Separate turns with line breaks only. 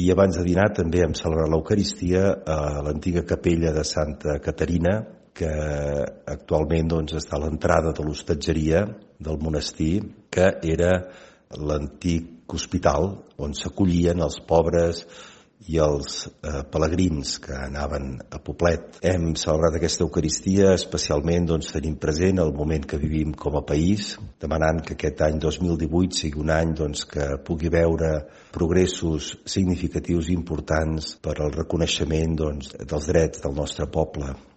I abans de dinar també hem celebrat l'Eucaristia a l'antiga capella de Santa Caterina, que actualment està a l'entrada de l'hostatgeria del monestir, que era l'antic hospital on s'acollien els pobres i els pelegrins que anaven a Poblet. Hem celebrat aquesta Eucaristia especialment tenint present el moment que vivim com a país, demanant que aquest any 2018 sigui un any que pugui veure progressos significatius i importants per al reconeixement dels drets del nostre poble.